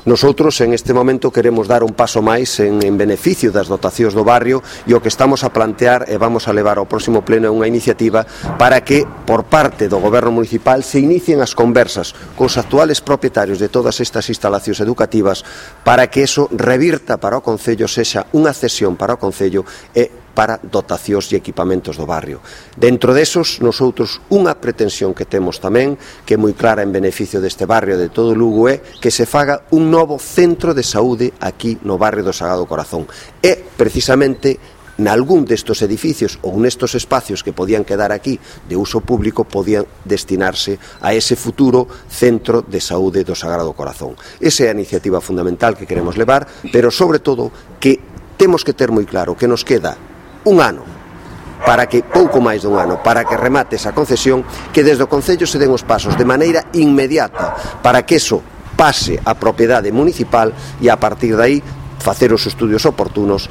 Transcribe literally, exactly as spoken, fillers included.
Nosotros en este momento queremos dar un paso máis en, en beneficio das dotacións do barrio e o que estamos a plantear e vamos a levar ao próximo pleno unha iniciativa para que por parte do Goberno municipal se inicien as conversas cos actuales propietarios de todas estas instalacións educativas para que eso revirta para o Concello, sexa unha cesión para o Concello e para dotacións e equipamentos do barrio. Dentro desos, nosotros unha pretensión que temos tamén, que é moi clara en beneficio deste barrio de todo Lugo, é que se faga un novo centro de saúde aquí no barrio do Sagrado Corazón. E, precisamente, nalgún destos edificios ou nestos espacios que podían quedar aquí de uso público podían destinarse a ese futuro centro de saúde do Sagrado Corazón. Esa é a iniciativa fundamental que queremos levar, pero sobre todo que temos que ter moi claro que nos queda un ano, para que, pouco máis dun ano, para que remate esa concesión, que desde o Concello se den os pasos de maneira inmediata para que eso pase a propiedade municipal e a partir de aí facer os estudios oportunos